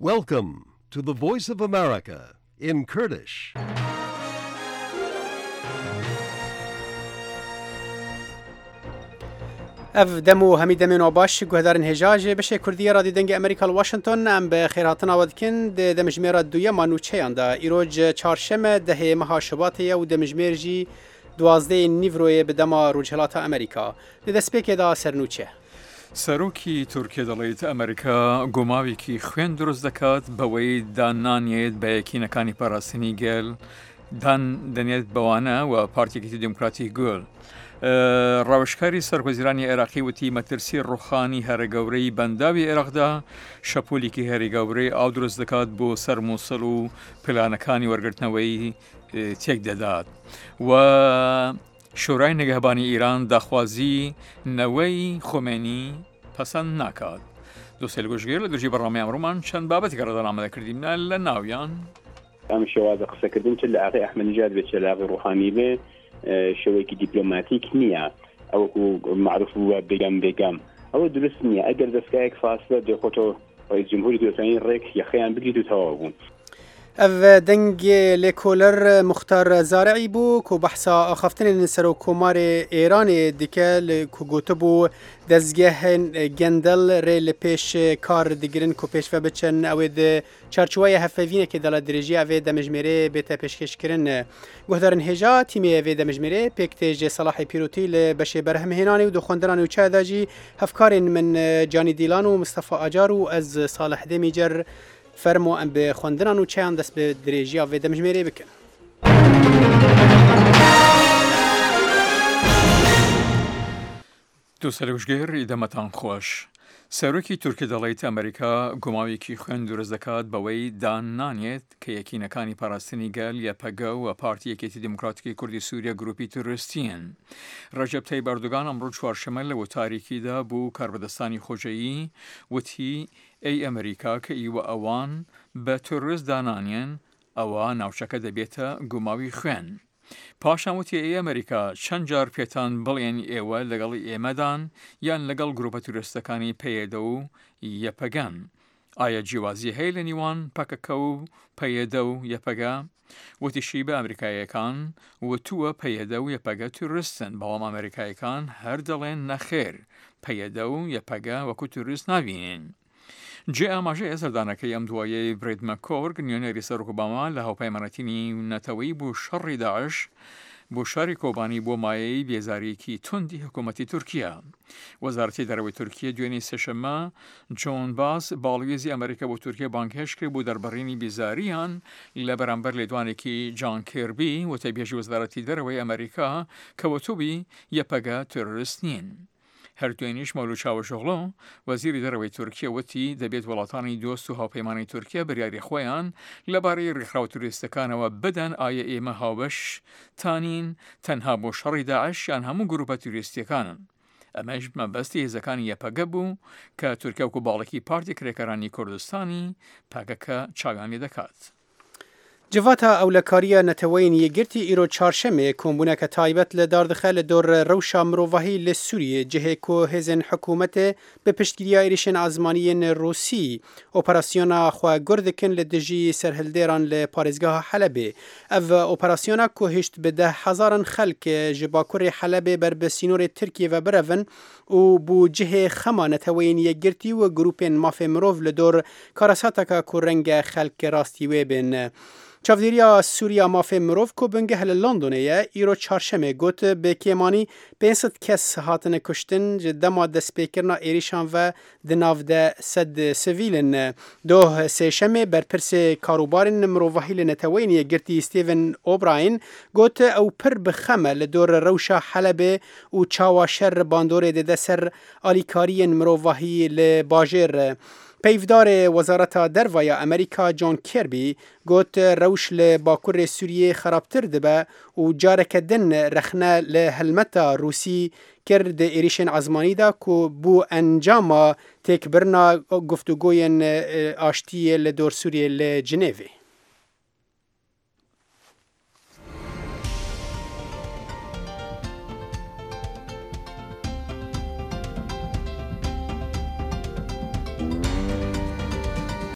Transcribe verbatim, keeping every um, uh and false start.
Welcome to the Voice of America in Kurdish. Ev dem û hemî demên we baş, guhdarên hêja ji beşê Kurdî ya Radyo Dengê Amerîka li Washington. Em bi xêrhatina we dikin di demjimêra duyema nûçeyan de. Îroj çarşeme dehê meha Şubatê ye û demjimêr jî duwazdehê Nîvroyê bi dema Rojhilata Amerîka. Di destpêkê de sernûçe. Serokî Tirkiyê دەڵێت ئەمریکا گوماوێکی خوێن دروست دەکات بەوەی دان نانێت بە یەکینەکانی پاراستنی گەل، دان دەنێت بەوانە و پارتیەکەتی دیموکراتی گۆل. ئە، ڕاوشکاری سەرۆکوەزیرانی عێراقی وتی مەترسی ڕوخانی هەرە گەورەی بەنداوی عێراقدا شەپۆلێکی هەرە گەورەی ئاو دروست دەکات بۆ سەر موسڵ و پلانەکانی وەرگرتنەوەی، ئە، تێک دەدات. و شورای نگهبانی ئیران داخوازی نەوەی خۆمێنی پەسەند ناکات. دوستێ لە گوشگیر لە دژی بەڕامی ئەمڕۆمان چەند بابەتی گەڕەدان ئامادە کردیمە لە ناویان. ئەم شێوازە قسەکردن چ لە ئاغی ئەحمەدنژاد بێت، چ لە ئاغی ڕوحانی بێ، ئە، شێوەیەکی دیپلۆماتیک نییە. ئەوەکو معروف بووە بێگام بێگام. ئەوە دروست نییە. ئەگەر دەستگایەک فاسدە دێخۆتەوە ڕئیس جمهوری دوێتانی ڕێک یەخەیان بگریت و تەواو بوو. Ev dengê lêkoler Muxtar Zari'î bû ku behsa axaftinên Serokkomarê Êranê dike, li ku gotibû dezgehên Gendel rê li pêş kar digirin ku pêşve biçin. Ew ê di çarçoweya hevpeyvînekê de li dirêjiya vê demjimêrê bête pêşkêşkirin. Guhdarên hêja, tîmê vê demjimêrê pêk tê ji Selahê Pîrotî li beşê berhemhênanê û di xwendina nûçeya de jî hevkarên min, Canî Dîlan û Mistefa Acar û ez Salih Demîcer. Fermo em bi xwendina nûçeyan dest bi dirêjiya vê demjimêrê bikin. دوستە لە گوشگێر ئیدەمەتان خۆش. سەرۆکی تورکی دەڵێت ئەمریکا گوماوێکی خوێن دروست دەکات بەوەی دان نانێت کە یەکینەکانی پاراستنی گەل، یەپەگە، و پارتی یەکێتی دیموکراتیکی کوردی سووریا گروپی تروریستین. ڕەجەب تەیب ئەردوگان ئەمڕۆ چوارشەمە لە وتارێکیدا بۆ کاربەدەستانی خۆجەیی وتی، ئەی ئەمریکا کە ئیوە ئەوان بە تروریست دانانیان، ئەوە ناوچەکە دەبێتە گوماوی خوێن. پاشان وتی، ئەی ئەمریکا، چەند جار پێتان بڵێن ئێوە لەگەڵ ئێمەدان یان لەگەڵ گروپە تروریستەکانی پەیەدە و یەپەگەن؟ ئایا جیوازی هەیە لە نیوان پەکەکە و پەیەدە و یەپەگە؟ وتیشی بە ئەمریکاییەکان وتووە پەیەدە و یەپەگە تروریستن، بەڵام ئەمریکاییەکان هەر دەڵێن نەخێر، پەیەدە و یەپەگە وەکو تروریست نابینین. جێ ئاماژەیە سەردانەکەی ئەم دواییەی برێت مەکۆرگ، نوێنەری سەرۆک ئۆباما لە هاوپەیمانەتیی نەتەوەیی بۆ شەڕی داعش، بۆ شاری کۆبانی بۆ مایەی بێزاریەکی توندی حکوومەتی تورکیا. وەزارەتی دەرەوەی تورکیا دوێنێ سێشەممە، جۆن باس، باڵوێزی ئەمریکا بۆ تورکیا بانگهێشت کرد بۆ دەربڕینی بیزاریان لە بەرامبەر لێدوانێکی جان کێربی، وتەبێژی وەزارەتی دەرەوەی ئەمریکا، کە وتوبی یەپەگە تروریست نین. هەر دوێنیش مەولود چاوشئۆغلو، وەزیری دەرەوەی تورکیا، وتی دەبێت وڵاتانی دۆست و هاوپەیمانی تورکیا بریاری خۆیان لەبارەی ڕێکخراوە تروریستەکانەوە بدەن، ئایا ئێمە هاوبەش تانین تەنها بۆ شەڕی داعش یان هەموو گروپە تروریستیەکانن؟ ئەمەش مەبەستی هێزەکانی یەپەگە بوو کە تورکیا وەکو باڵێکی پارتی کرێکارانی کوردستانی پەکەکە چاویان لێ دەکات. Civata Ewlekariya Neteweyên Yekgirtî îro çarşemê kombûneke taybet li dar dixe li dor rewşa mirovahî li Sûriyê, cihê ku hêzên hikûmetê bi piştgiriya êrişên ezmanî yên Rûsî operasyona xwe gur dikin li dijî serhildêran li parêzgeha Helebê. Ev operasyona ku hişt bi deh hezaran xelk ji bakurê Helebê ber bi sînorê Tirkiyê ve birevin û bû cihê xema Neteweyên Yekgirtî û grûpên mafê mirov li dor karasateke ku renge xelk rastî wê bên. Çavdêriya Sûriya Mafê Mirov ku bingeh li Londonê ye, îro çarşemê got bi kêmanî pênc sed kes hatine kuştin, ji dema destpêkirina êrîşan ve di nav de sed sivîl in. Doh sêşemê berpirsê karûbarên mirovahî li Neteweyên Yekgirtî Stephen O'Brien got ew pir bi xem e li dor rewşa Helebê û çawa şer bandorê dide ser alîkariyên mirovahî li bajêr. Peyvdarê Wezareta Derve ya Amerîka John Kirby got, rewş li bakurê Sûriyê xerabtir dibe û careke din rexne li helmeta Rûsî kir di êrîşên ezmanî de ku bû encama têkbirina guftûgoyên, e, aştiyê li dor Sûriyê li Cinêvê.